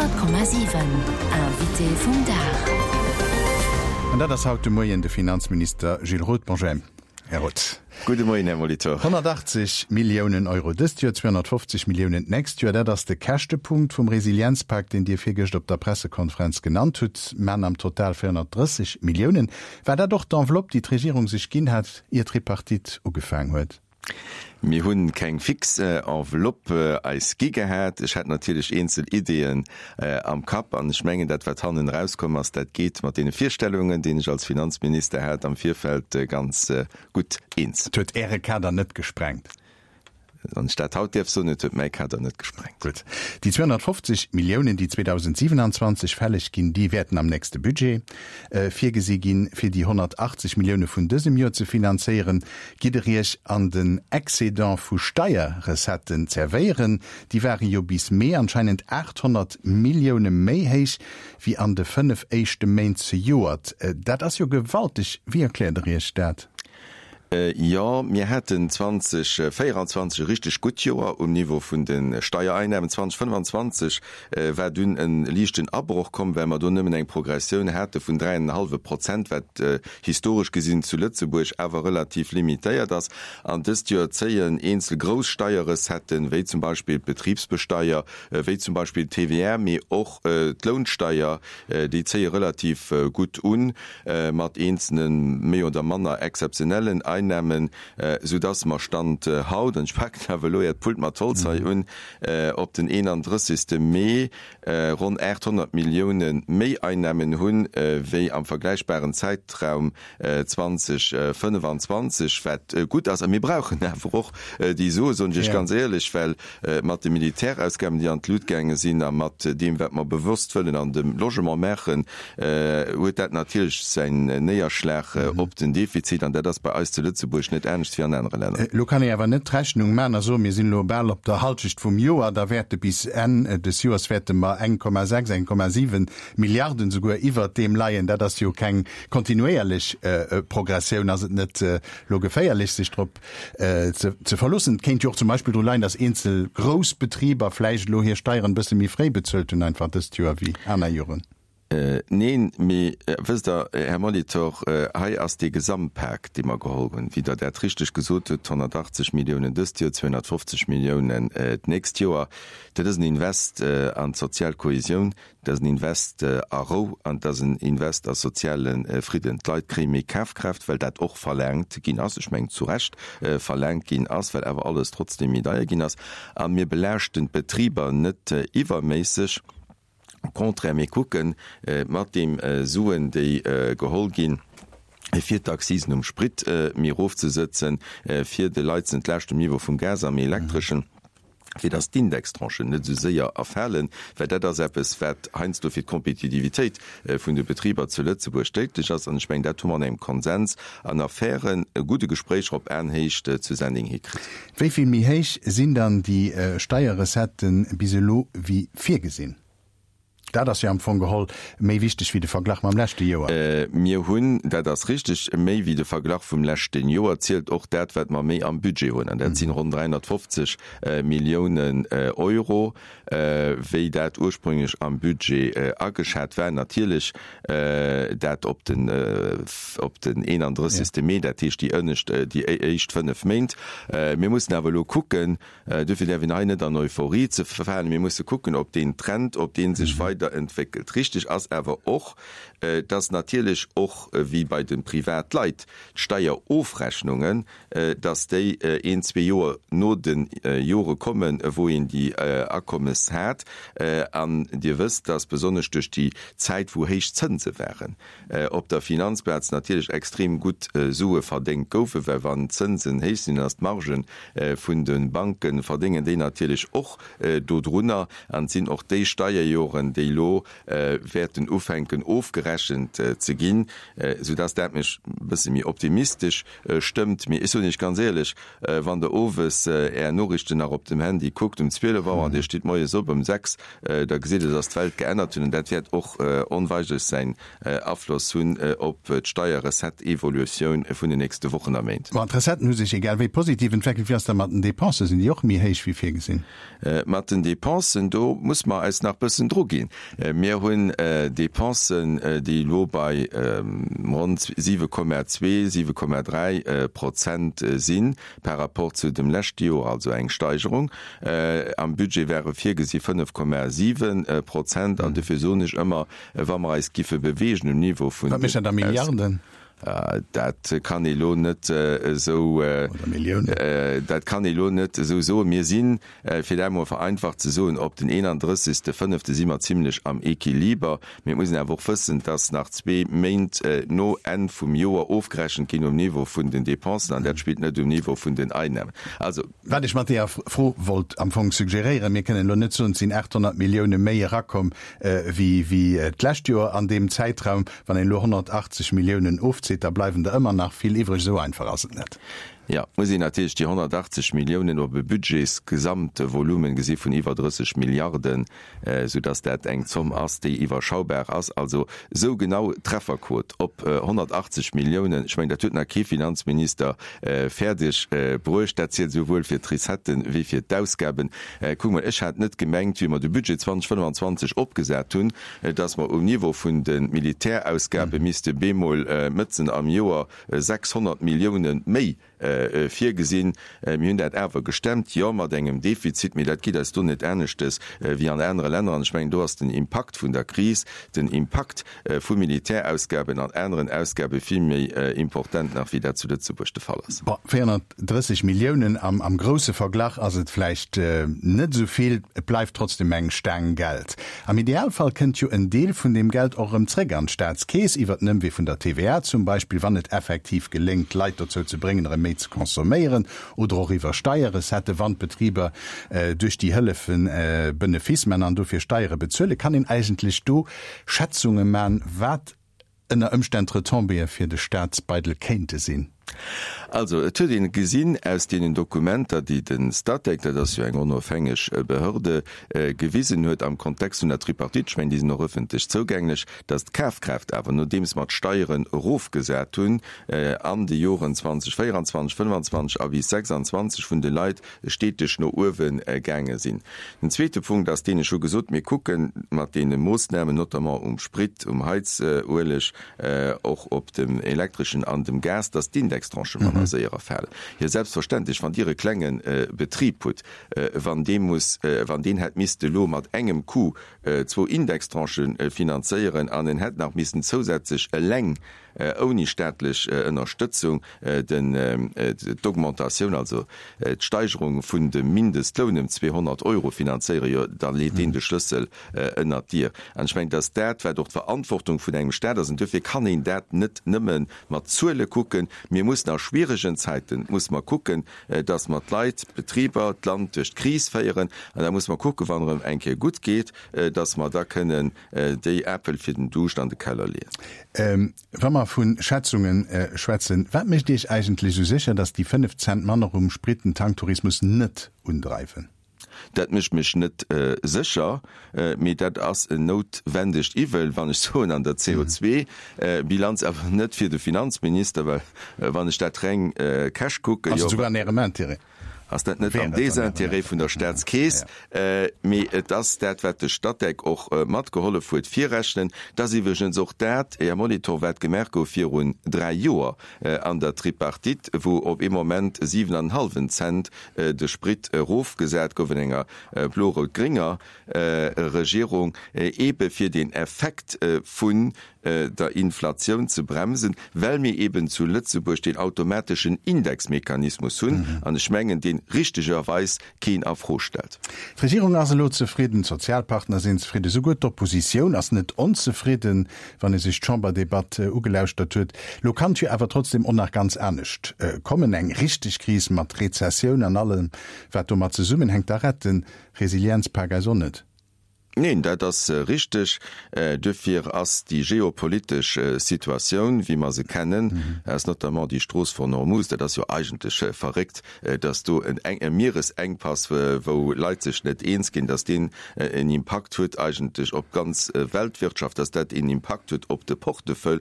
100,7 Invité vum Dag. An dat ass haut de Moien de Finanzminister Gilles Roth. Bonjour, Här Roth. Gudde Moien, Här Molitor. 180 Milliounen Euro dëst Joer, 250 Milliounen d'nächst Joer, dat ass de Käschtepunkt vum Resilienzpak, deen Dir virgëscht op der Pressekonferenz genannt hutt, maan am Total 430 Milliounen. War dat och d'Enveloppe, déi d'Regierung sech ginn hat, ier d'Tripartite ugefaang huet? Mir hu keng fix Enveloppe eis gi gehat. Ech hat natierlech eenzel Ideeën am Kapp an ech mengen, dat wat hannen erauskomm ass, dat geet mat deene Virstellungen, déi ech als Finanzminister hat am Virfeld, ganz gutt eens. Et huet Äre Kader net gesprengt? Wann ech dat haut däerf soen, et huet mäi Kader net gesprengt. Gutt. Déi 250 Milliounen, déi 2027 fälleg ginn, déi wäerten am nächste Budget virgesi ginn, fir déi 180 Millioune vun dësem Joer ze finanzéieren. Gitt Der Iech an den Excédent vu Steierrecetten zerwéieren? Déi ware jo bis Mee anscheinend 800 Millioune méi héich wéi an de 5 éischte Méint zejoert. Dat ass jo gewalteg. Wéi erkläert Der Iech dat? Jo, mir haten 2024 e richteg gutt Joer um Niveau vun de Steiereinnahmen. 2025 war dunn e liichten Abroch komm, well mer do nëmmen eng Progressioun hate vun dräi an en hallwe Prozent, wat historesch gesinn zu Lëtzebuerg awer relativ limitéiert ass. An dëst Joer zéien eenzel grouss Steierrecetten, wéi zum Beispill d'Betribsbesteier, wéi zum Beispill d'TVR, mee och d'Lounsteier, déi zéie relativ gutt un. mat eenzelne méi oder manner exzeptionellen Einnahmen, soudass mer Stand haut, an ech paken awer elo Äert Pult mat Holz hei un, op den 31. Mee ronn 800 Millioune méi Einnahmen hunn, wéi am vergläichbaren Zäitraum 2025, wat gutt ass. A mir brauchen awer och déi Sue, soen ech Iech ganz éierlech, well mat de Militärausgaben, déi an d'Lut gaange sinn, a mat deem, wat mer bewosst wëllen an dem Logement maachen, huet dat natierlech säin Néierschlag op den Defizit. An dat ass bei eis zu Lëtzebuerg net anescht wéi an anere Länner. Elo kann ee awer net d'Rechnung maachen a soen, mir sinn elo bal op der Halschecht vum Joer, da wäerte bis Enn des Joers wäerte mer 1,6, 1,7 Milliarden souguer iwwert deem leien. Dat ass jo keng kontinuéierlech Progressioun. Ass et net elo geféierlech, sech drop ze verloossen? Et kéint jo och zum Beispill dru leien, datt eenzel grouss Betriber vläicht elo hir Steieren e bësse méi fréi bezuelt hunn einfach dëst Joer wéi aner Joren. Neen, mee wësst Der, Här Molitor, hei ass dee Gesamtpak, dee mer geholl hunn, wéi Der dat richteg gesot hutt, 180 Milliounen dëst Joer, 250 Milliounen d'nächst Joer, dat ass en Invest an d'sozial Kohesioun, Dat ass en Invest a Rou an et ass en Invest a soziale Fridden. D'Leit kréie méi Kafkraaft, well dat och verlaangt ginn ass, ech mengen zu Recht verlaangt ginn ass, well awer alles trotzdeem méi deier ginn ass. A mir belaaschten d'Betriber net iwwerméisseg. Au contraire, mir kucken mat deem Suen, déi geholl ginn, fir d'Accisen um Sprit méi erofzesëtzen, fir de Leit ze entlaaschten um Niveau vum Gas am Elektreschen, fir dass d'Indextranchen net esou séier erfalen, well dat ass eppes, wat heiansdo fir d'Kompetitivitéit vun de Betriber zu Lëtzebuerg déidlech ass. An ech mengen, dat hu mer an engem Konsens an a fairen, gudde Gespréicher op Aenhéicht zu Sending hikritt. Wéi vill méi héich sinn dann déi Steierrecetten bis elo wéi virgesinn? Dat ass jo am Fong geholl méi wichteg wéi de Verglach mam leschte Joer. Mir hunn, dat ass richtig, méi wéi de Verglach vum leschte Joer zielt och dat, wat mer méi am Budget hunn, an dat sinn ronn 350 Milliounen Euro, wéi dat ursprünglech am Budget ageschat war. Natierlech dat op den, op den 31. Mee, dat heescht déi ënnescht, déi éischt fënnef Méint. Mir mussen awer elo kucken, Dofir däerf een hei net an Euphorie ze verfalen. Mir musse kucken, ob deen Trend, ob dee sech weiderentwéckelt. Richteg ass awer och, dass natierlech och, wéi bei de Privatleit, d'Steierofrechnungen, dass déi een, zwee Joer no de Jore kommen, wou een déi Akommes hat. An Dir wësst, dass besonnesch duerch déi Zäit, wou héich Zënse waren, op der Finanzplaz natierlech extrem gutt Sue verdéngt goufen, well wann d'Zënsen héich sinn, dann ass d'Marge vun de Banken, verdéngen déi natierlech och dodrunner. An et sinn och déi Steierjoren, déi. elo wäerten ufänken ofgerechent ze ginn, soudass dat mech e bësse méi optimistesch stëmmt. Mee ech soen Iech ganz éierlech, wann Der owes Är Noriichten nach op dem Handy kuckt um 12 Auer an Dir stitt moies op ëm 6, da gesitt Der, dass d'Welt geännert huet an dat wäert och onweigerlech säin Afloss hunn op d'Steierrecette-Evolutioun vun den nächste Wochen a Méint. Bon, d'Recetten hu sech egal wéi positiv entweckelt. Wéi ass dat mat den Dépensen? Sinn déi och méi héich wéi virgesinn? Mat den Dépensen, do muss mer eis nach bëssen druginn. Mir hunn Dépensen, déi elo bei ronn 7,2, 7,3 Prozent si par rapport zu dem leschte Joer, also eng Steigerung. Am Budget ware virgesi 5,7 Prozent. An dofir soen ech ëmmer, wa mer eis giffe beweegen um Niveau vun Wat mécht dat a Milliarden? Dat kann ee lo net esou, dat kann ee lo net esou soen. Mir sinn, fir dat emol vereinfacht ze soen, op den 31. Fënnefte si mer zimlech am Equiliber. Mee et muss een awer och wëssen, dass nach zwee Méint no Enn vum Joer ofgerechent ginn um Niveau vun den Dépensen, an dat spillt net um Niveau vun den Einnahmen. Also. Wat ech mat deeër Fro wollt am Fong suggeréieren, Mir kënnen elo net soen, et sinn 800 Millioune méi erakomm wéi d'lescht Joer an deem Zäitraum. Wann een elo 180 Milliounen ofzitt, da bleiwen der ëmmer nach vill iwwreg. Esou einfach ass et net. Jo, et muss een natierlech déi 180 Milliounen op e Budgetsgesamtvolumen gesi vun iwwer 30 Milliarden, soudass dat eng Zomm ass, déi iwwerschaubar ass. Also esou genau d'Trefferquot op 180 Milliounen, ech mengen, dat huet nach kee Finanzminister fäerdeg bruecht. Dat zielt esouwuel fir d'Recetten wéi fir d'Ausgaben. Kuck mol, ech hat net gemengt, wéi mer de Budget 2025 opgesat hunn, dass mer um Niveau vun de Militärausgabe misste bemol mëtzen am Joer 600 Millioune méi virgesinn. Mir hunn dat awer gestemmt, jo, mat engem Defizit, mee dat geet eis do net aneschtes wéi an anere Länner. An ech mengen, do ass den Impakt vun der Kris, den Impakt vu Militärausgaben an aneren Ausgabe vill méi importent nach, wéi dat zu Lëtzebuerg de Fall ass. Bon, 430 Milliounen, am grousse Verglach ass et vläicht net esou vill, et bleift trotzdem eng Staang Geld. Am Idealfall kënnt jo en Deel vun deem Geld och erëm zréck an d'Staatskeess, iwwert den Ëmwee vun der TVA zum Beispill, wann et effektiv geléngt, d'Leit dozou ze bréngen, erëm méi ze consomméieren, oder och iwwer Steierrecetten, wann d'Betriber duerch déi Hëllefen Benefice man an dofir Steiere bezuelen. Kann een eigentlech do Schätzunge man, wat ënner Ëmstänn d'Retombéeë fir de Staatsbeidel kéinte sinn? Also, et huet een gesinn aus deenen Dokumenter, déi de Statec, dat ass jo eng onofhängeg Behörde, gewisen huet am Kontext vun der Tripartite, ech mengen, déi sinn och ëffentlech zougänglech, datt d'Kafkraaft awer, nodeems mer d'Steieren erofgesat hunn an de Joren 2024, 2025 a bis 2026, vun de Leit steteg no uewe gaange sinn. Den zweete Punkt ass deen, ech hu gesot, mir kucke mat deene Moossnamen, notamment um Sprit, um Heizueleg, och op dem Elektreschen an dem Gas, dass d'Indextranchë manner séier erfalen. Jo, selbstverständlech, wann Dir e klenge Betrib hutt, wann dee muss, wann deen hätt misste elo mat engem Coup zwou Indextranchë finanzéieren an en hätt nach missen zousätzlech eleng ouni staatlech Ënnerstëtzung den d'Augmentatioun, also d'Steigerung vun dem Mindestloun ëm 200 Euro finanzéieren, jo da leet deen de Schlëssel ënnert d'Dier. An ech mengen, dass dat, wat och d'Verantwortung vun engem Staat ass, an duerfir kann een dat net nëmme mat Zuele kucken, mir mussen a schwieregen Zäiten, musse mer kucken, dass mer d'Leit, d'Betriber, d'Land duerch d'Kris féieren, an da musse mer kucken, wann erëm eng Kéier gutt geet, dass mer da kënnen déi Äppel fir den Duuscht an de Keller leeën. Wa mer vu Schätzunge schwätzen, wat mécht Iech eigentlech esou sécher, datt déi 5 Cent manner um Sprit den Tanktourismus net undreiwen? Dat mécht mech net sécher, mee dat ass en noutwendegt Iwwel, wann ech soen, an der CO2-Bilanz, awer net fir de Finanzminister, well wann ech dat reng cash kucken, Ass et souguer an Ärem Intérêt? Ass dat net am Désintérêt vun der Staatskeess? Mee et ass dat, wat de Statec och matgehollef huet virrechnen. Et ass iwwregens och dat, Här Molitor, wat gemaach gouf virun dräi Joer an der Tripartite, wou op ee Moment siwen an en hallwen Cent de Sprit erofgesat gouf an enger blo-rout-grénger Regierung, eebe fir den Effekt vun der Inflatioun ze bremsen, well mir eben zu Lëtzebuerg deen automateschen Indexmechanismus hunn, an ech mengen, deen richtegerweis keen a Fro stellt. D'Regierung ass elo zefridden, d'Sozialpartner sinn zefridden, esouguer d'Oppositioun ass net onzefridden, wann ee sech d'Chamberdebatt ugelauschtert huet. Elo kann et jo awer trotzdem och nach ganz anescht kommen, eng richteg Kris mat Rezessioun an allem wat domat zesummenhänkt. Da rett de Resilienzpak eis och net. Neen, dat ass richteg. Duerfir ass déi geopolitesch Situatioun, wéi mer se kennen, ass notamment déi Strooss von Hormuz, dat ass jo eigentlech verréckt, dass do en e Mieresengpass, wou Leit sech net eens ginn, dass deen en Impakt huet eigentlech op d'ganz Weltwirtschaft, dass dat en Impakt huet op de Portefeuille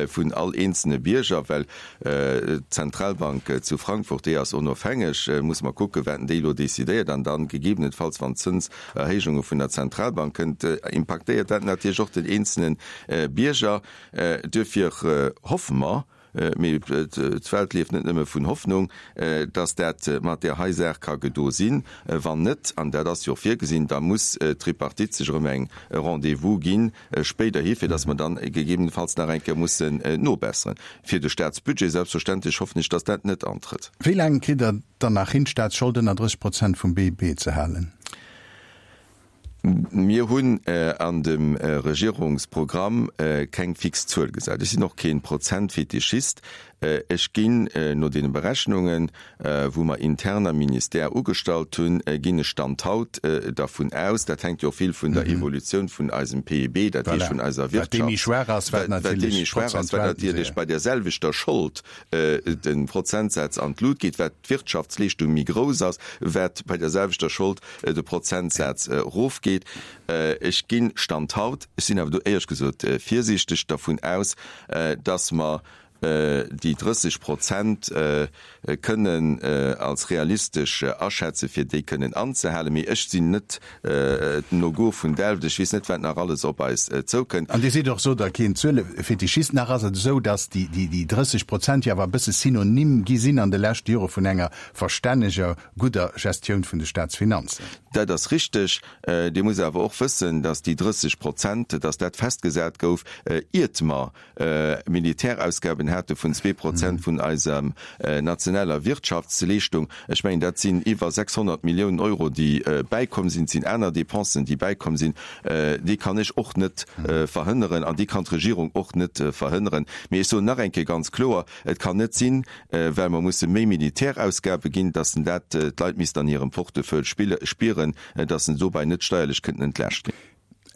vun all eenzelne Bierger, well d'Zentralbank zu Frankfurt, déi ass onofhängeg, muss mer kucken, wat déi elo decidéiert an dann gegebenenfalls, wann d'Zëns Erhéijunge vun der Zentralbank kënnt, impaktéiert dat natierlech och den eenzele Bierger. Duerfir hoffe mer, mee d'Welt lieft net nëmme vun Hoffnung, datt dat mat där hei Saach ka gedo sinn. Wann net, an dat ass jo och virgesinn, da muss d'Tripartite sech erëm eng Rendez-vous ginn spéiderhi, fir datt mer dann gegebenenfalls nach eng Kéier mussen nobesseren. Fir de Staatsbudget selbstverständlech hoffen ech, datt dat net antrëtt. Wéi laang kritt Der dann nach hin, d'Staatsschold ënner 30 Prozent vum BIP ze halen? Mir hunn an dem Regierungsprogramm keng fix Zuel gesat. Ech sinn och kee Prozentfetischist. Ech ginn no deene Berechnungen, wou mer intern am Ministère ugestallt hunn, ginn ech Stand haut dervun aus, dat hänkt jo och vill vun der Evolutioun vun eisem PIB, dat heescht vun eiser Wirtschaft, wat dee méi schwaach ass, wat natierlech bei där selwechter Schold de Prozentsaz an d'Lut geet, wat d'Wirtschaftsleeschtung méi grouss ass, wat bei der selwechter Schold de Prozentsaz erofgeet. Ech ginn, Stand haut, ech sinn awer do éierlech gesot virsiichteg, dervun aus, dass mer déi 30 Prozent kënnen als realistesch aschätzen, fir déi kënnen anzehalen. Mee ech sinn net den Augur vun Delft, ech weess net, wat nach alles op eis zoukënnt. An Dir sidd och, sot Der, keen Zuelefetischist. Nach ass et esou, datt déi 30 Prozent jo awer e bësse Synonym gi sinn an de leschte Jore vun enger verstänneger, gudder Gestioun vun de Staatsfinanzen. Dat ass richteg. Dir musst awer och wëssen, datt déi 30 Prozent, datt dat festgesat gouf, iert mer Militärausgaben hate vun 2 Prozent vun eiser nationaler Wirtschaftsleeschtung. Ech mengen, dat sinn iwwer 600 Milliounen Euro, déi bäikomm sinn. Et sinn aner Dépensen, déi bäikomm sinn. Déi kann ech och net verhënneren an déi kann d'Regierung och net verhënneren. Mee ech soen nach eng Kéier ganz kloer, Et kann net sinn, well mer musse méi Militärausgabe ginn, dass dat d'Leit missten an hirem Portefeuille spieren, dass se dobäi net steierlech kënnten entlaascht ginn.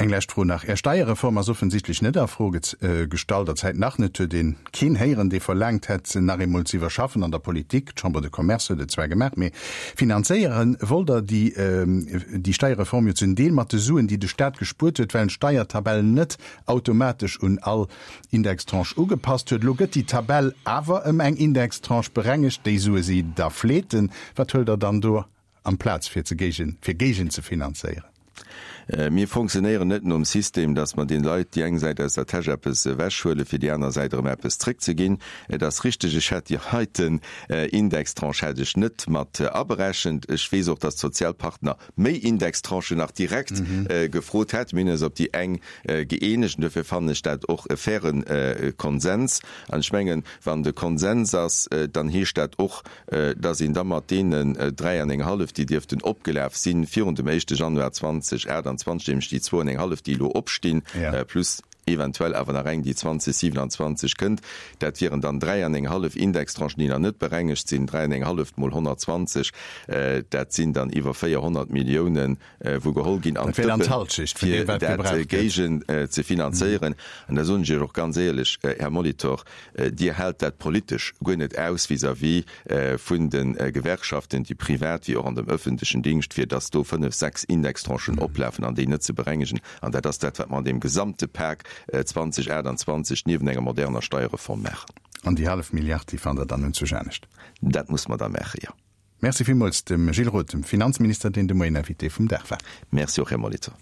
Eng lescht Fro nach, Är Steierreform ass offensichtlech net a Fro gestallt, derzäit nach net. Huet een keen héieren, dee verlaangt hätt, se nach eemol ze iwwerschaffen an der Politik? D'Chambre de Commerce huet et zwar gemaach, mee finanzéiere wollt Der déi déi Steierreform jo zum Deel mat de Suen, déi de Staat gespuert huet, well en d'Steiertabell net automatesch un all Indextranche ugepasst huet. Elo gëtt déi Tabell awer ëm eng Indextranche berengegt. Déi Sue si da fleeten. Wat huelt Der dann do amplaz fir ze géigen, fir géigen ze finanzéieren? Mir fonctionnéieren net nom System, dass mer den Leit déi eng Säit aus der Täsch eppes ewechhuelen, fir déi aner Säit erëm eppes zréckzeginn. Et ass richteg, ech hätt déi heiten Indextranche hätt ech net mat aberechent. Ech weess och, dass d'Sozialpartner méi Indextranchen nach direkt gefrot hätten. Mir hunn eis op déi eng gëeenegt an duerfir fannen ech dat och e faire Konsens. An ech mengen, wann de Konsens ass, dann heescht dat och, dass een da mat deenen 3 an eng hallef, déi dierften opgelaf sinn virun dem éischte Januar 2028, nämlech déi zwou an eng hallef, déi elo opstinn, plus eventuell awer nach eng, déi 2027 kënnt, dat wieren dann 3 an eng hallef Indextranchen, déi nach net berengegt sinn, 3 an eng halleft mol 120, dat sinn dann iwwer 400 Milliounen, wou geholl ginn an d'Dëppen, fir dat géigen ze finanzéieren. An da soen ech Iech och ganz éierlech, Här Molitor, Dir haalt dat politesch guer net aus vis-à-vis vun de Gewerkschaften, déi privat wéi och an dem öffentlechen Dingscht, fir datt do fënnf, sechs Indextranchen oplafen an déi net ze berengegen. An dat ass dat, wat mer an deem gesamte Pak 2028 niewent enger moderner Steierreform maachen. An déi hallef Milliard, déi fannt Der dann unzwousch anescht? Dat muss mer da maachen, jo. Merci villmools dem Gilles Roth, dem Finanzminister, deen de Moien Invité vum Dag war. Merci och, Här Molitor.